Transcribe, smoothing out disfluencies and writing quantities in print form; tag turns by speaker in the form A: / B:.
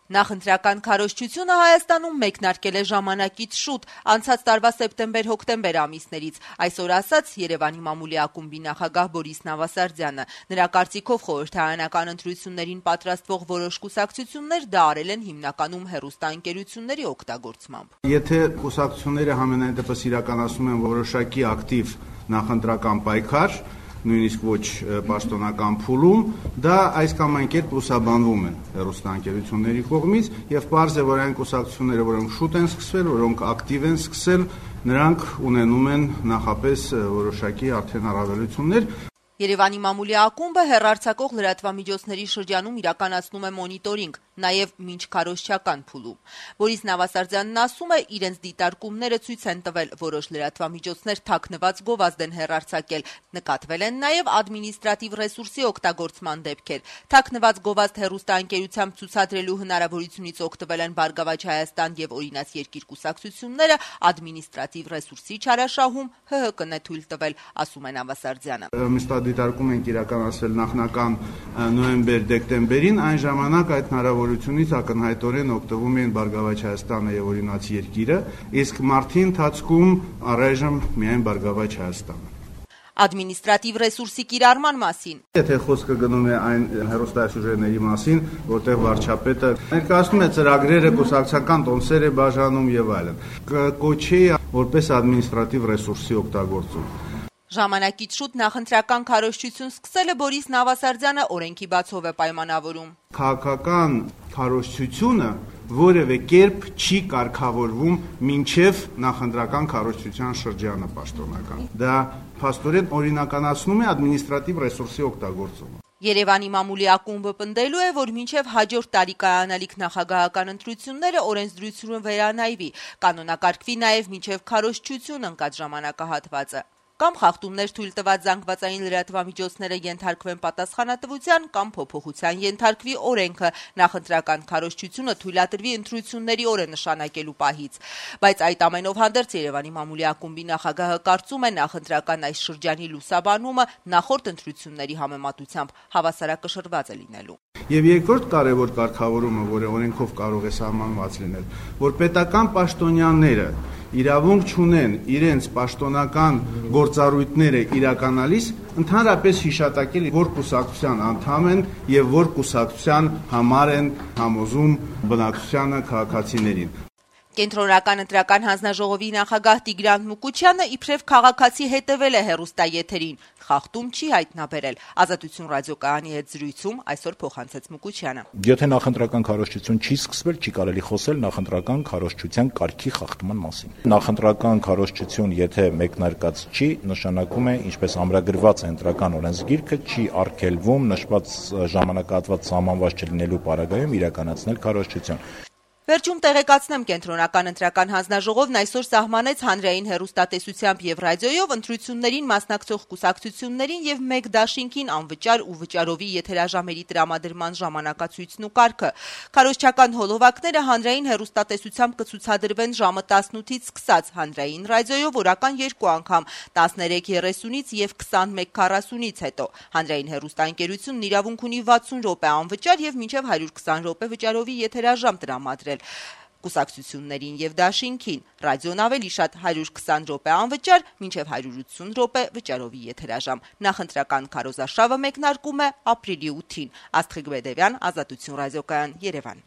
A: Նախընտրական քարոզչությունը Հայաստանում մեկնարկել է ժամանակից շուտ, անցած տարվա սեպտեմբեր-հոկտեմբեր ամիսներից, այսօր ասաց Երևանի մամուլի ակումբի նախագահ Բորիս Նավասարդյանը։ Նրա կարծիքով խորհրդարանական ընտրություններին պատրաստվող որոշ կուսակցություններ դա արել են հիմնականում հեռուստաընկերությունների օգտագործմամբ։
B: Եթե կուսակցությունները համենայն դեպս իրականացնում են որոշակի ակտիվ նախընտրական պայքար, նույնիսկ ոչ պաշտոնական փուլում, դա այս կամ այն կերպ լուսաբանվում են հեռուստաընկերությունների կողմից եւ պարզ է, որ այն կուսակցությունները, որոնք շուտ են սկսվել, որոնք ակտիվ են սկսել, նրանք ունենում են նախապես որոշակի արդեն առավելություններ։
A: Երևանի մամուլի ակումբը հեռարձակող լրատվամիջոցների շրջանում իրականացնում է մոնիտորինգ, նաև մինչ քարոզչական փուլում։ Բորիս Նավասարդյանն ասում է, իրենց դիտարկումները ցույց են տվել, որոշ լրատվամիջոցներ թաքնված գովազդ են հեռարձակել, նկատվել են նաև ադմինիստրատիվ ռեսուրսի օգտագործման դեպքեր։ Թաքնված գովազդ հեռուստաընկերությամբ ցուցադրելու հնարավորությունից օգտվել են Բարգավաճ Հայաստան եւ Օրինաց երկիր կուսակցությունները, ադմինիստրատիվ ռեսուրսի չարաշահում ՀՀԿ-ն է թույլ տվել, ասում է Նավասարդյանը։
B: Դիտարկում ենք իրականացվել նախնական նոյեմբեր-դեկտեմբերին, այն ժամանակ այդ հնարավորությունից ակնհայտորեն օգտվում են Բարգավաճ Հայաստանը եւ Օրինաց երկիրը, իսկ մարտի ընթացքում առայժմ միայն Բարգավաճ Հայաստանը։
A: Ադմինիստրատիվ ռեսուրսի կիրառման մասին։
B: Եթե խոսքը գնում է այն հեռուստասյուժեների մասին, որտեղ վարչապետը ներկայացնում է ծրագրերը, կուսակցական տոմսեր է բաժանում եւ այլն, կոչի որպես ադմինիստրատիվ ռեսուրսի օգտագործում։
A: Ժամանակից շուտ նախընտրական քարոզչություն սկսելը Բորիս Նավասարդյանը օրենքի բացով է պայմանավորում։
B: Քաղաքական քարոզչությունը որևէ կերպ չի կարգավորվում մինչև նախընտրական քարոզչության շրջանը պաշտոնական։ Դա փաստորեն օրինականացնում է ադմինիստրատիվ ռեսուրսի օգտագործումը։
A: Երևանի մամուլի ակումբը պնդելու է, որ մինչև հաջորդ տարի կայանալիք նախագահական ընտրությունները օրենսդրությունը վերանայվի, կանոնակարգվի նաև մինչև քարոզչություն ընկած ժամանակահատվածը։ Կամ խախտումներ թույլ տված զանգվածային լրատվամիջոցները ենթարկվեն պատասխանատվության կամ փոփոխության ենթարկվի օրենքը, նախընտրական քարոզչությունը թույլատրվի ընտրությունների օրը նշանակելու պահից։ Բայց այդ ամենով հանդերձ Երևանի մամուլի ակումբի նախագահը կարծում է նախընտրական այս շրջանի լուսաբանումը նախորդ ընտրությունների համեմատությամբ հավասարակշռված է լինելու։
B: Եվ երկրորդ կարևոր կարգավորումը, որը օրենքով կարող է սահմանված լինել, որ պետական պաշտոնյաները իրավունք չունեն իրենց պաշտոնական գործառույթները իրականալիս ընդհանրապես հիշատակել, որ կուսակցության անդամ են եւ որ կուսակցության համար են համոզում բնակչությանը, քաղաքացիներին։
A: Կենտրոնական ընտրական հանձնաժողովի նախագահ Տիգրան Մուկուչյանը իբրև քաղաքացի հետևել է հեռուստաեթերին, խախտում չի հայտնաբերել։ Ազատություն ռադիոկայանի հետ զրույցում այսօր փոխանցեց Մուկուչյանը։
C: Եթե նախընտրական քարոզչություն չի սկսվել, չի կարելի խոսել նախընտրական քարոզչության կարգի խախտման մասին։ Նախընտրական քարոզչություն, եթե մեկնարկած չի, նշանակում է, ինչպես ամրագրված է ընտրական օրենսգիրքը, չի արգելվում նշված ժամանակահատված սահմանված չլինելու պարագայում իրականացնել քարոզչություն։
A: Վերջում տեղեկացնեմ, Կենտրոնական ընտրական հանձնաժողովն այսօր սահմանեց հանրային հեռուստատեսությամբ եւ ռադիոյով ընտրություններին մասնակցող կուսակցություններին եւ մեկ դաշինքին անվճար ու վճարովի եթերաժամերի տրամադրման ժամանակացույցն ու կարգը։ Քարոզչական հոլովակները հանրային հեռուստատեսությամբ կցուցադրվեն ժամը 18-ից սկսած, հանրային ռադիոյով օրական 2 անգամ 13:30-ից եւ 21:40-ից հետո։ Հանրային հեռուստաընկերությունն իրավունք ունի 60 րոպե անվճար եւ մինչեւ 120 րոպե վճարովի եթերաժամ տրամադրել կուսակցություններին եւ դաշինքին, ռադիոն ավելի շատ 120 րոպե անվճար, մինչեւ 180 րոպե վճարովի եթերաժամ։ Նախընտրական քարոզարշավը մեկնարկում է ապրիլի 8-ին։ Աստղիկ Բեդևյան, Ազատություն ռադիոկայան, Երևան։